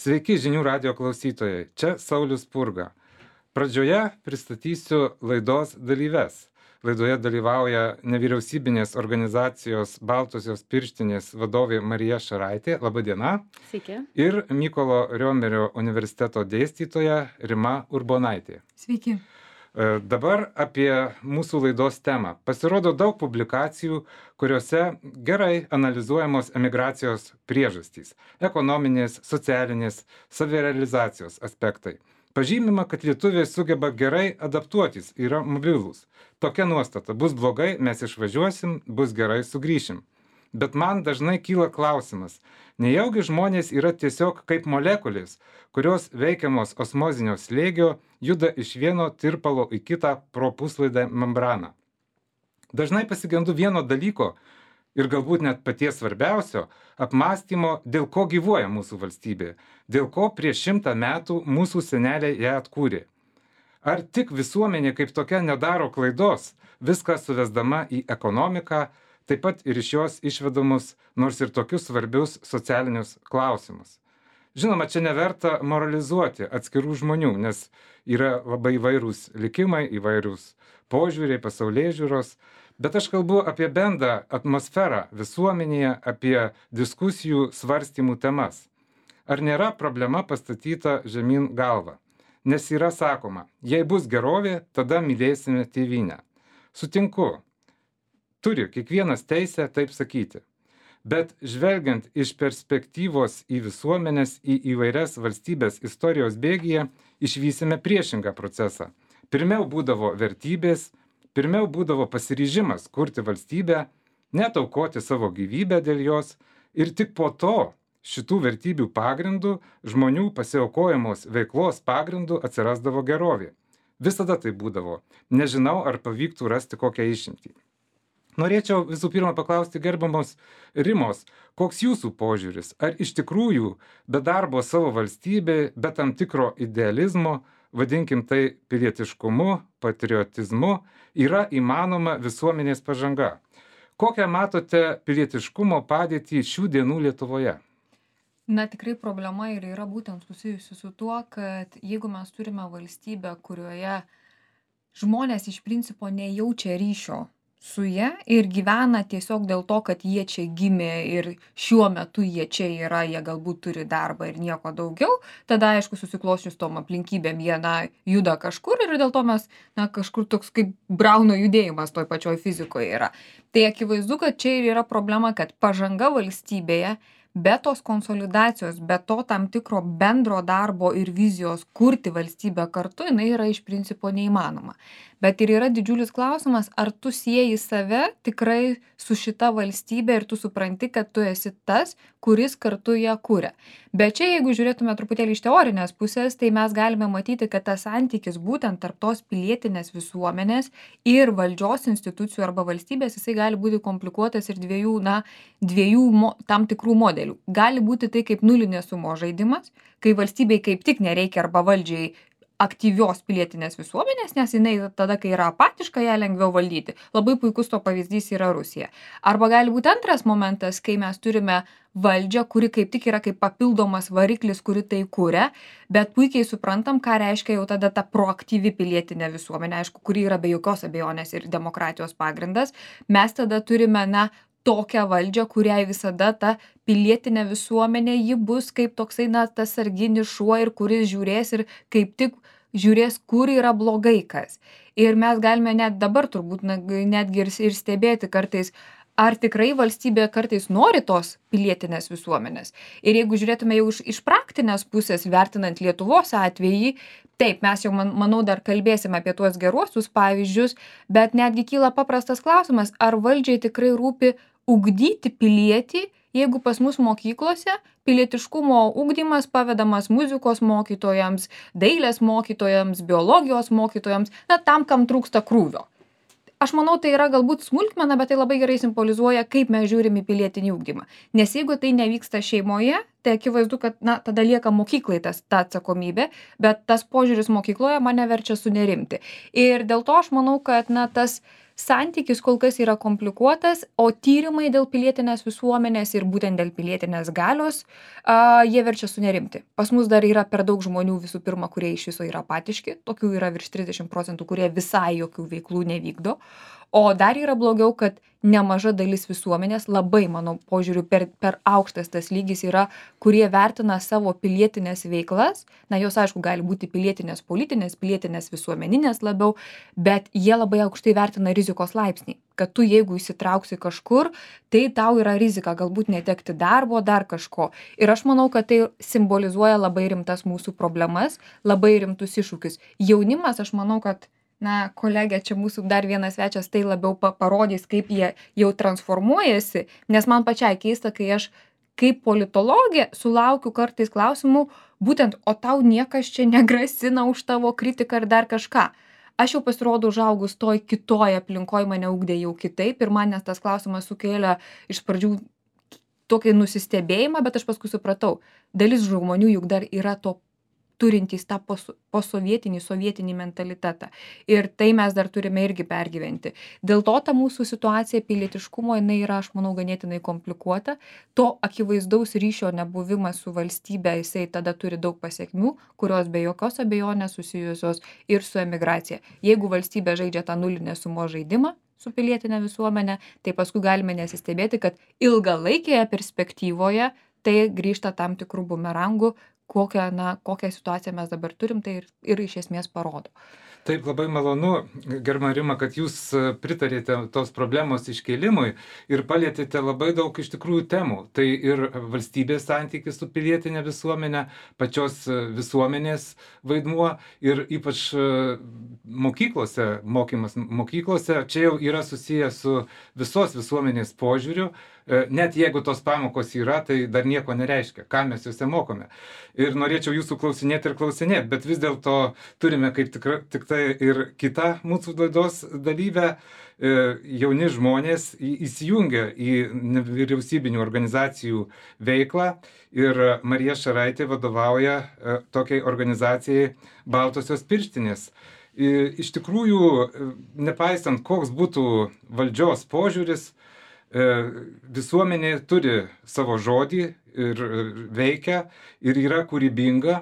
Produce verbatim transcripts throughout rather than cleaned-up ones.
Sveiki žinių radijo klausytojai, čia Saulius Spurga. Pradžioje pristatysiu laidos dalyves. Laidoje dalyvauja nevyriausybinės organizacijos Baltosios pirštinės vadovė Marija Šaraitė. Labą dieną. Sveiki. Ir Mykolo Riomerio universiteto dėstytoja Rima Urbonaitė. Sveiki. Dabar apie mūsų laidos temą. Pasirodo daug publikacijų, kuriuose gerai analizuojamos emigracijos priežastys – ekonominės, socialinės, savirealizacijos aspektai. Pažymima, kad lietuviai sugeba gerai adaptuotis, yra mobilūs. Tokia nuostata – bus blogai, mes išvažiuosim, bus gerai, sugrįšim. Bet man dažnai kyla klausimas, nejaugi žmonės yra tiesiog kaip molekulės, kurios veikiamos osmozinio slėgio juda iš vieno tirpalo į kitą pro puslaidę membraną. Dažnai pasigendu vieno dalyko ir galbūt net paties svarbiausio apmąstymo, dėl ko gyvuoja mūsų valstybė, dėl ko prieš šimtą metų mūsų seneliai ją atkūrė. Ar tik visuomenė kaip tokia nedaro klaidos, viską suvesdama į ekonomiką, taip pat ir iš jos išvedamus nors ir tokius svarbius socialinius klausimus. Žinoma, čia neverta moralizuoti atskirų žmonių, nes yra labai įvairūs likimai, įvairūs požiūriai, pasaulėžiūros, bet aš kalbu apie bendrą atmosferą visuomenėje, apie diskusijų svarstymų temas. Ar nėra problema pastatyta žemyn galva? Nes yra sakoma, jei bus gerovė, tada mylėsime tėvynę. Sutinku. Turi kiekvienas teisę taip sakyti. Bet žvelgiant iš perspektyvos į visuomenės, į įvairias valstybės istorijos bėgyje, išvysime priešingą procesą. Pirmiau būdavo vertybės, pirmiau būdavo pasiryžimas kurti valstybę, net aukoti savo gyvybę dėl jos, ir tik po to šitų vertybių pagrindų, žmonių pasiaukojamos veiklos pagrindų atsirasdavo gerovė. Visada tai būdavo. Nežinau, ar pavyktų rasti kokią išimtį. Norėčiau visų pirma paklausti gerbiamos Rimos, koks jūsų požiūris? Ar iš tikrųjų be darbo savo valstybė, be tam tikro idealizmo, vadinkim tai pilietiškumu, patriotizmu, yra įmanoma visuomenės pažanga? Kokią matote pilietiškumo padėtį šių dienų Lietuvoje? Na, tikrai problema ir yra būtent susijusi su tuo, kad jeigu mes turime valstybę, kurioje žmonės iš principo nejaučia ryšio su ja ir gyvena tiesiog dėl to, kad jie čia gimė ir šiuo metu jie čia yra, jie galbūt turi darbą ir nieko daugiau, tada aišku susiklosčius tom aplinkybėm jie na, juda kažkur ir dėl to mes na, kažkur toks kaip Brauno judėjimas toj pačioj fizikoje yra. Tai akivaizdu, kad čia ir yra problema, kad pažanga valstybėje be tos konsolidacijos, be to tam tikro bendro darbo ir vizijos kurti valstybę kartu, jinai yra iš principo neįmanoma. Bet ir yra didžiulis klausimas, ar tu sieji save tikrai su šita valstybė ir tu supranti, kad tu esi tas, kuris kartu ją kuria. Bet čia, jeigu žiūrėtume truputėlį iš teorinės pusės, tai mes galime matyti, kad tas santykis būtent tarp tos pilietinės visuomenės ir valdžios institucijų arba valstybės, jisai gali būti komplikuotas ir dviejų, na, dviejų mo, tam tikrų modelių. Gali būti tai kaip nulinės sumos žaidimas, kai valstybei kaip tik nereikia arba valdžiai aktyvios pilietinės visuomenės, nes jinai tada, kai yra apatiška, ją lengviau valdyti. Labai puikus to pavyzdys yra Rusija. Arba gali būti antras momentas, kai mes turime valdžią, kuri kaip tik yra kaip papildomas variklis, kuri tai kuria, bet puikiai suprantam, ką reiškia jau tada ta proaktyvi pilietinė visuomenė, aišku, kuri yra be jokios abejonės ir demokratijos pagrindas. Mes tada turime, na, tokią valdžią, kuriai visada ta pilietinė visuomenė, ji bus kaip toksai, na, tas sarginis šuo ir kuris žiūrės ir kaip tik žiūrės, kur yra blogai kas. Ir mes galime net dabar turbūt na, netgi ir, ir stebėti kartais, ar tikrai valstybė kartais nori tos pilietinės visuomenės. Ir jeigu žiūrėtume jau iš, iš praktinės pusės, vertinant Lietuvos atvejį, taip, mes jau, man, manau, dar kalbėsim apie tuos geruosius pavyzdžius, bet netgi kyla paprastas klausimas, ar valdžiai tikrai rūpi ugdyti pilietį, jeigu pas mus mokyklose pilietiškumo ugdymas pavedamas muzikos mokytojams, dailės mokytojams, biologijos mokytojams, na, tam, kam trūksta krūvio. Aš manau, tai yra galbūt smulkmena, bet tai labai gerai simbolizuoja, kaip mes žiūrim į pilietinį ugdymą. Nes jeigu tai nevyksta šeimoje, tai akivaizdu, kad na, tada lieka mokyklai tas, ta atsakomybė, bet tas požiūris mokykloje mane verčia sunerimti. Ir dėl to aš manau, kad na, tas santykis kol kas yra komplikuotas, o tyrimai dėl pilietinės visuomenės ir būtent dėl pilietinės galios, a, jie verčia sunerimti. Pas mus dar yra per daug žmonių visų pirma, kurie iš viso yra apatiški, tokių yra virš trisdešimt procentų, kurie visai jokių veiklų nevykdo. O dar yra blogiau, kad nemaža dalis visuomenės, labai mano požiūriu, per, per aukštas tas lygis yra, kurie vertina savo pilietinės veiklas, na jos aišku gali būti pilietinės politinės, pilietinės visuomeninės labiau, bet jie labai aukštai vertina rizikos laipsnį, kad tu jeigu įsitrauksi kažkur, tai tau yra rizika galbūt netekti darbo, dar kažko. Ir aš manau, kad tai simbolizuoja labai rimtas mūsų problemas, labai rimtus iššūkius. Jaunimas, aš manau, kad na, kolegė, čia mūsų dar vienas svečias, tai labiau pa parodys, kaip jie jau transformuojasi, nes man pačiai keista, kai aš kaip politologė sulaukiu kartais klausimų, būtent, o tau niekas čia negrasina už tavo kritiką ar dar kažką. Aš jau pasirodo užaugus toj kitoj aplinkoj, mane ugdė jau kitaip ir man nes tas klausimas sukėlė iš pradžių tokį nusistebėjimą, bet aš paskui supratau, dalis žmonių juk dar yra to turintys tą posovietinį, sovietinį mentalitetą. Ir tai mes dar turime irgi pergyventi. Dėl to ta mūsų situacija pilietiškumo, jinai yra, aš manau, ganėtinai komplikuota. To akivaizdaus ryšio nebuvimas su valstybe, jisai tada turi daug pasiekmių, kurios be jokios abejonės susijusios ir su emigracija. Jeigu valstybė žaidžia tą nulinę sumos žaidimą su pilietinė visuomenė, tai paskui galime nesistebėti, kad ilgalaikėje perspektyvoje tai grįžta tam tikrų bumerangų, kokią, na, kokią situaciją mes dabar turim, tai ir, ir iš esmės parodo. Taip, labai malonu, gerbiama Rima, kad jūs pritarėte tos problemos iškėlimui ir palėtėte labai daug iš tikrųjų temų. Tai ir valstybės santykis su pilietinė visuomenė, pačios visuomenės vaidmuo ir ypač mokyklose, mokymas mokyklose, čia jau yra susijęs su visos visuomenės požiūriu. Net jeigu tos pamokos yra, tai dar nieko nereiškia, ką mes juose mokome. Ir norėčiau jūsų klausinėti ir klausinėti, bet vis dėlto turime kaip tikra, tik tai ir kitą mūsų laidos dalyvę. Jauni žmonės įsijungia į nevyriausybinių organizacijų veiklą ir Marija Šaraitė vadovauja tokiai organizacijai Baltosios pirštinės. Iš tikrųjų, nepaisant koks būtų valdžios požiūris, visuomenė turi savo žodį ir veikia ir yra kūrybinga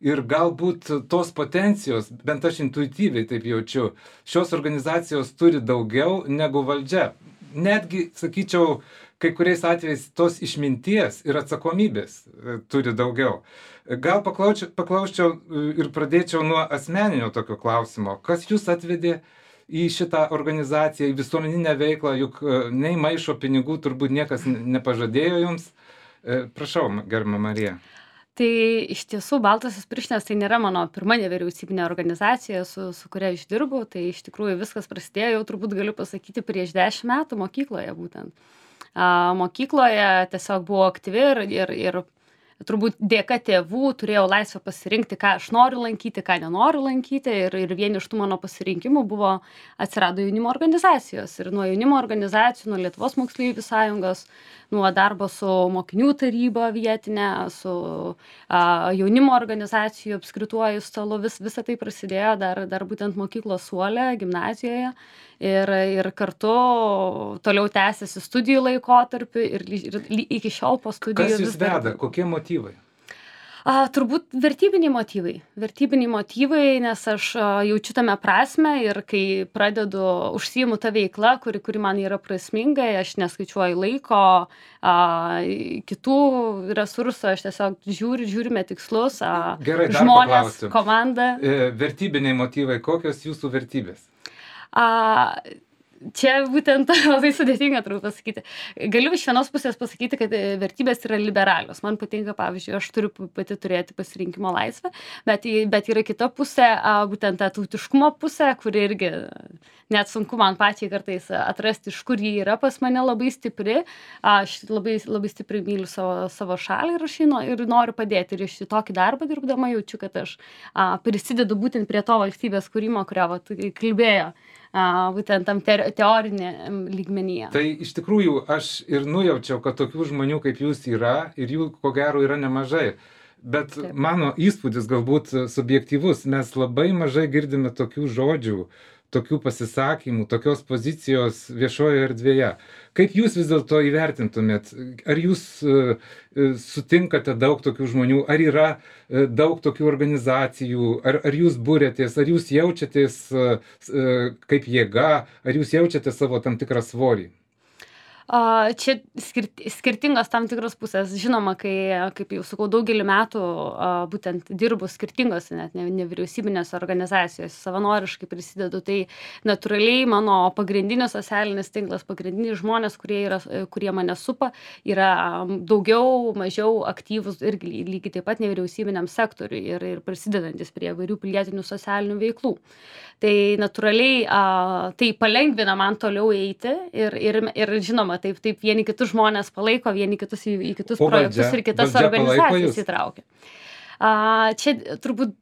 ir galbūt tos potencijos, bent aš intuityviai taip jaučiu, šios organizacijos turi daugiau negu valdžia. Netgi, sakyčiau, kai kuriais atvejais tos išminties ir atsakomybės turi daugiau. Gal paklausčiau, paklausčiau ir pradėčiau nuo asmeninio tokio klausimo. Kas jūs atvedė į šitą organizaciją, į visuomeninę veiklą, juk nei maišo pinigų turbūt niekas nepažadėjo jums. Prašau, gerbiama Marija. Tai iš tiesų Baltosios pirštinės tai nėra mano pirma nevyriausybinė organizacija, su, su kuria aš dirbu. Tai iš tikrųjų viskas prasidėjo, jau turbūt galiu pasakyti, prieš dešimt metų mokykloje būtent. A, mokykloje tiesiog buvo aktyvi ir, ir, ir turbūt dėka tėvų turėjau laisvę pasirinkti, ką aš noriu lankyti, ką nenoriu lankyti. Ir, ir vieni iš tų mano pasirinkimų buvo atsirado jaunimo organizacijos. Ir nuo jaunimo organizacijų, nuo Lietuvos moksleivių sąjungos, nuo darbo su mokinių taryba vietinė, su a, jaunimo organizacijų apskrituoju stalu, vis, visa tai prasidėjo dar, dar būtent mokyklos suole, gimnazijoje. Ir, ir kartu toliau tęsiasi studijų laikotarpiu ir, ir, ir iki šiol po studijų. Kas jūs veda? Kokie motyvai? A, turbūt vertybiniai motyvai. Vertybiniai motyvai, nes aš a, jaučiu tame prasme ir kai pradedu užsiimu tą veiklą, kuri, kuri man yra prasminga, aš neskaičiuoju laiko, a, kitų resursų, aš tiesiog žiūriu, žiūrime tikslus, a, Gerai, žmonės, komanda. E, vertybiniai motyvai, kokios jūsų vertybės? A, čia būtent labai sudėtinga, turiu pasakyti. Galiu iš vienos pusės pasakyti, kad vertybės yra liberalios. Man patinka, pavyzdžiui, aš turiu pati turėti pasirinkimo laisvę, bet, bet yra kita pusė, a, būtent ta tautiškumo pusė, kuri irgi net sunku man pačiai kartais atrasti, iš kur jį yra pas mane labai stipri. Aš labai, labai stipriai myliu savo, savo šalį ir aš jį ir noriu padėti. Ir iš tokį darbą dirbdama jaučiu, kad aš a, prisidedu būtent prie to valstybės kūrimo, kurio vat, kalbėjo. A, būtent tam te teorinė lygmenyje. Tai iš tikrųjų aš ir nujaučiau, kad tokių žmonių kaip jūs yra ir jų ko gero yra nemažai. Bet Taip. mano įspūdis galbūt subjektyvus, mes labai mažai girdime tokių žodžių, tokių pasisakymų, tokios pozicijos viešojoje erdvėje. Kaip jūs vis dėlto įvertintumėt? Ar jūs e, e, sutinkate daug tokių žmonių? Ar yra e, daug tokių organizacijų? Ar, ar jūs būrėtės? Ar jūs jaučiatės e, e, kaip jėga? Ar jūs jaučiate savo tam tikrą svorį? A, čia skirti, skirtingos tam tikros pusės. Žinoma, kai, kaip jau sakau, daugelį metų a, būtent dirbu skirtingose net ne- nevyriausybinėse organizacijose, savanoriškai prisidedu, tai natūraliai mano pagrindinis socialinis tinklas, pagrindiniai žmonės, kurie, yra, kurie mane supa, yra am, daugiau, mažiau aktyvus irgi ly- lygiai taip pat nevyriausybiniam sektoriui ir, ir prisidedantis prie įvairių pilietinių socialinių veiklų. Tai natūraliai a, tai palengvina man toliau eiti ir, ir, ir žinoma, taip, taip vieni kitus žmonės palaiko, vieni kitus į, į kitus O projektus valdžia? ir kitas Valdžia palaiko organizacijas jus? įtraukia. A, čia turbūt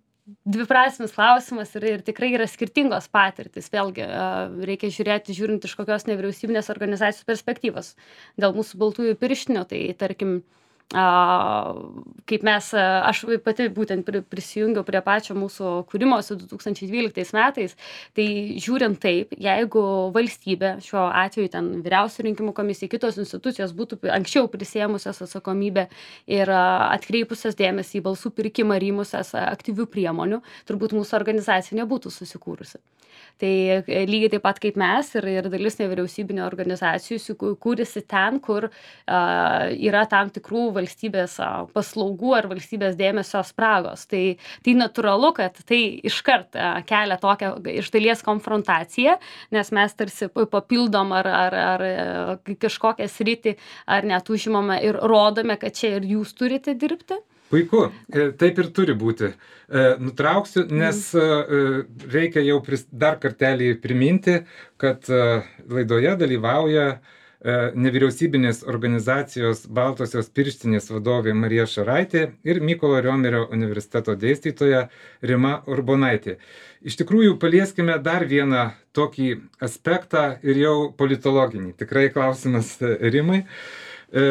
dviprasmis klausimas ir, ir tikrai yra skirtingos patirtis. Vėlgi a, reikia žiūrėti, žiūrint iš kokios nevyriausybinės organizacijos perspektyvos. Dėl mūsų baltųjų pirštinių, tai tarkim, a, kaip mes, a, aš pati būtent pri- prisijungiau prie pačio mūsų kūrimosi du tūkstančiai dvyliktais metais, tai žiūrint taip, jeigu valstybė, šiuo atveju ten vyriausių rinkimų komisija, kitos institucijos būtų pi- anksčiau prisėmusios atsakomybę ir a, atkreipusios dėmesį į balsų pirkimą ir įmusias a, aktyvių priemonių, turbūt mūsų organizacija nebūtų susikūrusi. Tai e, lygiai taip pat kaip mes ir, ir dalis nevyriausybinio organizacijų įsikū- kūrėsi ten, kur a, yra tam tikrų valstybės a, paslaugų ar valstybės dėmesio spragos. Tai, tai natūralu, kad tai iškart a, kelia tokią iš dalies konfrontaciją, nes mes tarsi pa- papildom ar, ar, ar e, kažkokią sritį ar net užimame ir rodome, kad čia ir jūs turite dirbti. Puiku, e, taip ir turi būti. E, Nutrauksiu, nes e, e, reikia jau pris- dar kartelį priminti, kad e, laidoje dalyvauja e, nevyriausybinės organizacijos Baltosios pirštinės vadovė Marija Šaraitė ir Mykolo Riomerio universiteto dėstytoja Rima Urbonaitė. Iš tikrųjų, palieskime dar vieną tokį aspektą ir jau politologinį. Tikrai klausimas e, Rimai. E,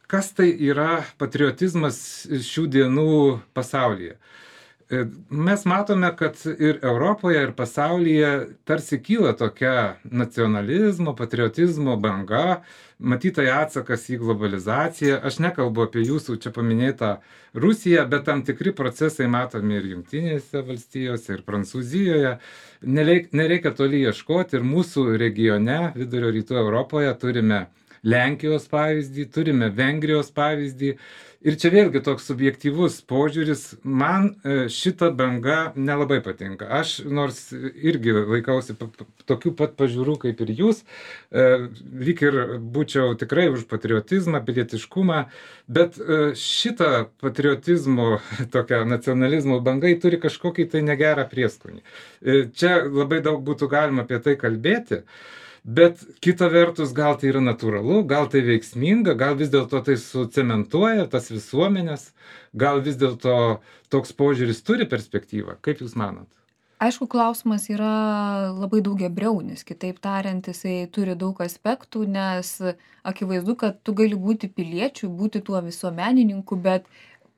Kas tai yra patriotizmas šių dienų pasaulyje? E, Mes matome, kad ir Europoje, ir pasaulyje tarsi kyla tokia nacionalizmo, patriotizmo banga, matytai atsakas į globalizaciją. Aš nekalbu apie jūsų čia paminėtą Rusiją, bet tam tikri procesai matomi ir Jungtinėse valstijose, ir Prancūzijoje. Nereik, nereikia toli ieškoti ir mūsų regione, vidurio rytų Europoje, turime Lenkijos pavyzdį, turime Vengrijos pavyzdį. Ir čia vėlgi toks subjektyvus požiūris, man e, šita banga nelabai patinka. Aš nors irgi laikausi pa- pa- tokių pat pažiūrų kaip ir jūs, e, lyg ir būčiau tikrai už patriotizmą, pilietiškumą, bet e, šita patriotizmo, tokia nacionalizmo banga ji turi kažkokį tai negerą prieskonį. E, Čia labai daug būtų galima apie tai kalbėti. Bet kita vertus, gal tai yra natūralu, gal tai veiksminga, gal vis dėlto tai sucementuoja tas visuomenės, gal vis dėlto toks požiūris turi perspektyvą. Kaip Jūs manot? Aišku, klausimas yra labai daugiabriaunis. Kitaip tariant, jisai turi daug aspektų, nes akivaizdu, kad tu gali būti piliečiu, būti tuo visuomenininku, bet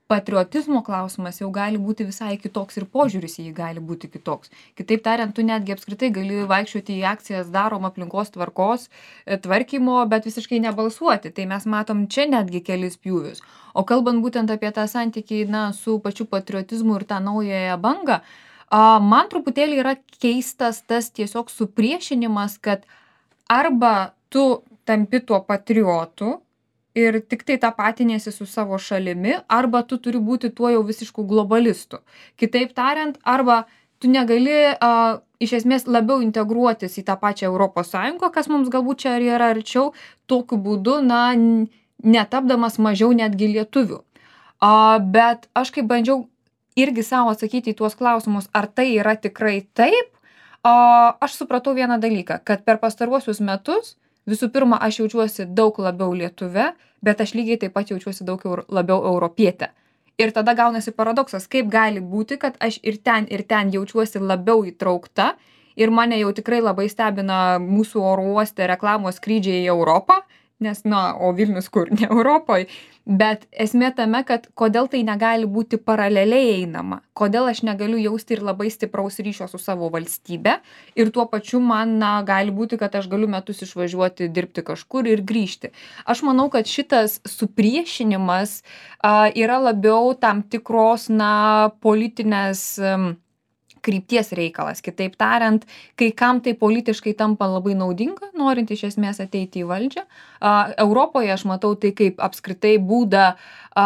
patriotizmo klausimas jau gali būti visai kitoks ir požiūris į jį gali būti kitoks. Kitaip tariant, tu netgi apskritai gali vaikščioti į akcijas darom aplinkos tvarkos, e, tvarkymo, bet visiškai nebalsuoti. Tai mes matom čia netgi kelis pjūvius. O kalbant būtent apie tą santykį na, su pačiu patriotizmu ir tą naująją bangą, a, man truputėlį yra keistas tas tiesiog supriešinimas, kad arba tu tampi tuo patriotu ir tik tai tapatiniesi su savo šalimi, arba tu turi būti tuo jau visišku globalistu. Kitaip tariant, arba tu negali a, iš esmės labiau integruotis į tą pačią Europos Sąjungą, kas mums galbūt čia yra arčiau, tokiu būdu, na, n- netapdamas mažiau netgi lietuvių. A, bet aš kaip bandžiau irgi savo atsakyti į tuos klausimus, ar tai yra tikrai taip, a, aš supratau vieną dalyką, kad per pastaruosius metus visų pirma, aš jaučiuosi daug labiau lietuve, bet aš lygiai taip pat jaučiuosi daug eur- labiau europietė. Ir tada gaunasi paradoksas, kaip gali būti, kad aš ir ten, ir ten jaučiuosi labiau įtraukta ir mane jau tikrai labai stebina mūsų oro uoste reklamos skrydžiai į Europą nes, na, o Vilnius kur, ne Europoje, bet esmė tame, kad kodėl tai negali būti paraleliai einama, kodėl aš negaliu jausti ir labai stipraus ryšio su savo valstybe ir tuo pačiu man, na, gali būti, kad aš galiu metus išvažiuoti dirbti kažkur ir grįžti. Aš manau, kad šitas supriešinimas a, yra labiau tam tikros, na, politinės um, krypties reikalas. Kitaip tariant, kai kam tai politiškai tampa labai naudinga, norint iš esmės ateiti į valdžią. A, Europoje aš matau tai kaip apskritai būdą a,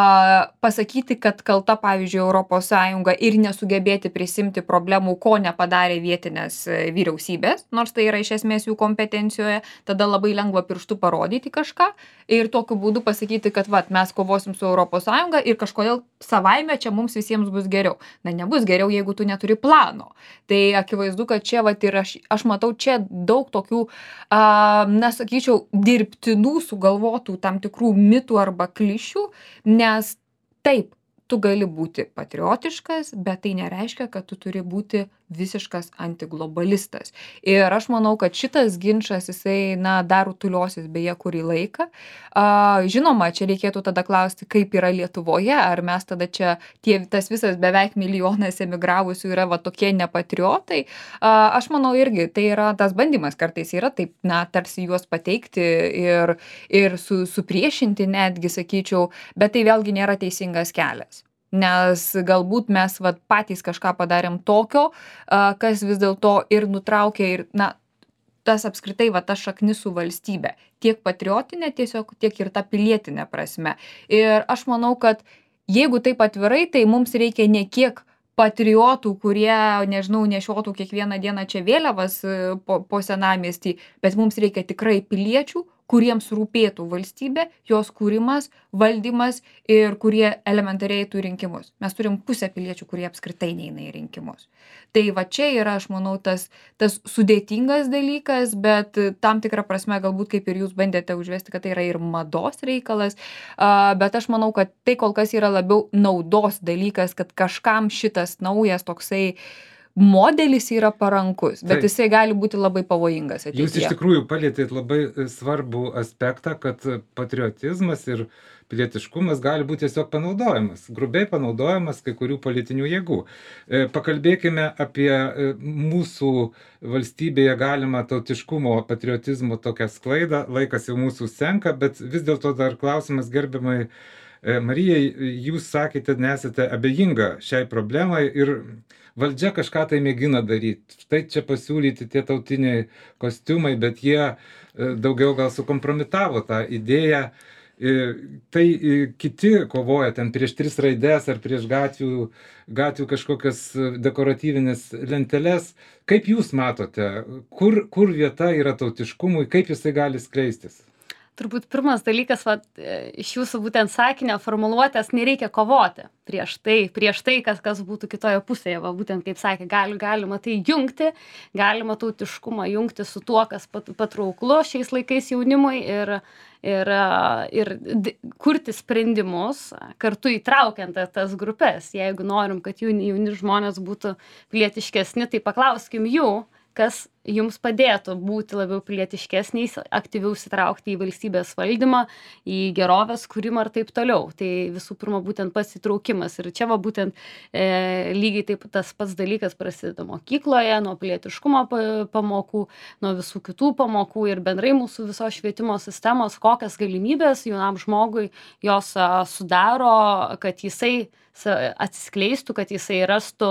pasakyti, kad kalta, pavyzdžiui, Europos Sąjunga ir nesugebėti prisimti problemų, ko nepadarė vietinės vyriausybės, nors tai yra iš esmės jų kompetencijoje, tada labai lengva pirštu parodyti kažką ir tokiu būdu pasakyti, kad vat, mes kovosim su Europos Sąjunga ir kažkodėl savaime čia mums visiems bus geriau. Na, nebus geriau, jeigu tu neturi plano. Tai akivaizdu, kad čia vat, ir aš, aš matau čia daug tokių, a, na, sakyčiau, dirbtinų sugalvotų tam tikrų mitų arba klišių, nes taip, tu gali būti patriotiškas, bet tai nereiškia, kad tu turi būti visiškas antiglobalistas. Ir aš manau, kad šitas ginčas, jisai, na, dar rutuliosis beje kurį laiką. A, žinoma, čia reikėtų tada klausti, kaip yra Lietuvoje, ar mes tada čia, tie, tas visas beveik milijonas emigravusių yra va tokie nepatriotai. A, aš manau irgi, tai yra tas bandymas kartais yra taip, na, tarsi juos pateikti ir, ir su, supriešinti netgi, sakyčiau, bet tai vėlgi nėra teisingas kelias. Nes galbūt mes vat, patys kažką padarėm tokio, kas vis dėlto ir nutraukė ir, na, tas apskritai va, ta šaknis su valstybe. Tiek patriotinė tiesiog, tiek ir ta pilietinė prasme. Ir aš manau, kad jeigu taip atvirai, tai mums reikia ne kiek patriotų, kurie, nežinau, nešiotų kiekvieną dieną čia vėliavas po, po senamiestį, bet mums reikia tikrai piliečių, kuriems rūpėtų valstybė, jos kūrimas, valdymas ir kurie elementariai tų rinkimus. Mes turim pusę piliečių, kurie apskritai neina į rinkimus. Tai va čia yra, aš manau, tas, tas sudėtingas dalykas, bet tam tikrą prasme galbūt kaip ir jūs bandėte užvesti, kad tai yra ir mados reikalas, bet aš manau, kad tai kol kas yra labiau naudos dalykas, kad kažkam šitas naujas toksai modelis yra parankus, bet Taip. Jisai gali būti labai pavojingas ateityje. Jūs iš tikrųjų palietėt labai svarbų aspektą, kad patriotizmas ir pilietiškumas gali būti tiesiog panaudojamas, grubiai panaudojamas kai kurių politinių jėgų. Pakalbėkime apie mūsų valstybėje galimą tautiškumo, patriotizmo tokią sklaidą. Laikas jau mūsų senka, bet vis dėlto dar klausimas gerbiamai Marijai, jūs sakėte, nesate abejinga šiai problemai ir valdžia kažką tai mėgina daryti. Štai čia pasiūlyti tie tautiniai kostiumai, bet jie daugiau gal sukompromitavo tą idėją. Tai kiti kovoja ten prieš tris raides ar prieš gatvių, gatvių kažkokias dekoratyvinės lenteles. Kaip jūs matote, kur, kur vieta yra tautiškumui, kaip jisai gali skleistis? Turbūt pirmas dalykas, va, iš jūsų būtent sakinio formuluotės, nereikia kovoti prieš tai, prieš tai, kas, kas būtų kitoje pusėje. Va, būtent kaip sakė, gali, galima tai jungti, galima tautiškumą jungti su tuo, kas patrauklu šiais laikais jaunimui ir, ir, ir kurti sprendimus, kartu įtraukiant tas grupės. Jeigu norim, kad jauni, jauni žmonės būtų pilietiškesni, tai paklauskim jų, kas jums padėtų būti labiau pilietiškesniais, aktyviau įsitraukti į valstybės valdymą, į gerovės kūrimą ir taip toliau. Tai visų pirma būtent pasitraukimas. Ir čia va būtent e, lygiai taip tas pats dalykas prasideda mokykloje, nuo pilietiškumo pamokų, nuo visų kitų pamokų ir bendrai mūsų visos švietimo sistemos, kokias galimybės jaunam žmogui jos a, sudaro, kad jisai atsiskleistų, kad jisai rastų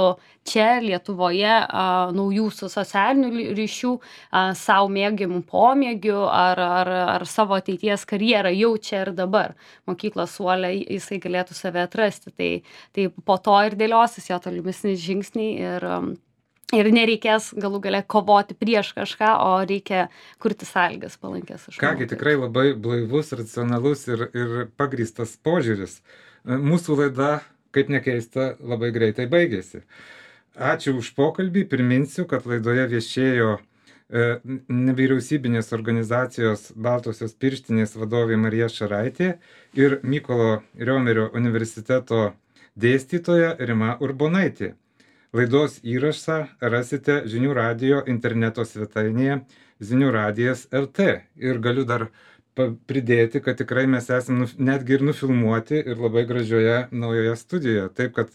čia Lietuvoje a, naujų socialinių ryšių, a, savo mėgiamų pomėgių ar, ar, ar savo ateities karjerą jau čia ir dabar. Mokyklos suole jisai galėtų save atrasti. Tai, tai po to ir dėliosis jo tolimesni žingsniai ir, ir nereikės galų gale kovoti prieš kažką, o reikia kurti sąlygas palankės. Kągi, tikrai labai blaivus, racionalus ir, ir pagrįstas požiūris. Mūsų laida, kaip nekeista, labai greitai baigėsi. Ačiū už pokalbį. Priminsiu, kad laidoje viešėjo e, nevyriausybinės organizacijos Baltosios pirštinės vadovė Marija Šaraitė ir Mykolo Riomerio universiteto dėstytoja Rima Urbonaitė. Laidos įrašą rasite Žinių radijo interneto svetainėje Zinių radijas L T. Ir galiu dar pa pridėti, kad tikrai mes esam nuf netgi ir nufilmuoti ir labai gražioje naujoje studijoje. Taip kad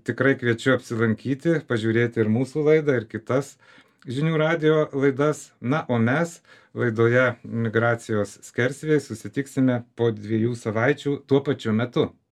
tikrai kviečiu apsilankyti, pažiūrėti ir mūsų laidą, ir kitas žinių radijo laidas. Na, o mes laidoje Migracijos skersvėjai susitiksime po dviejų savaičių tuo pačiu metu.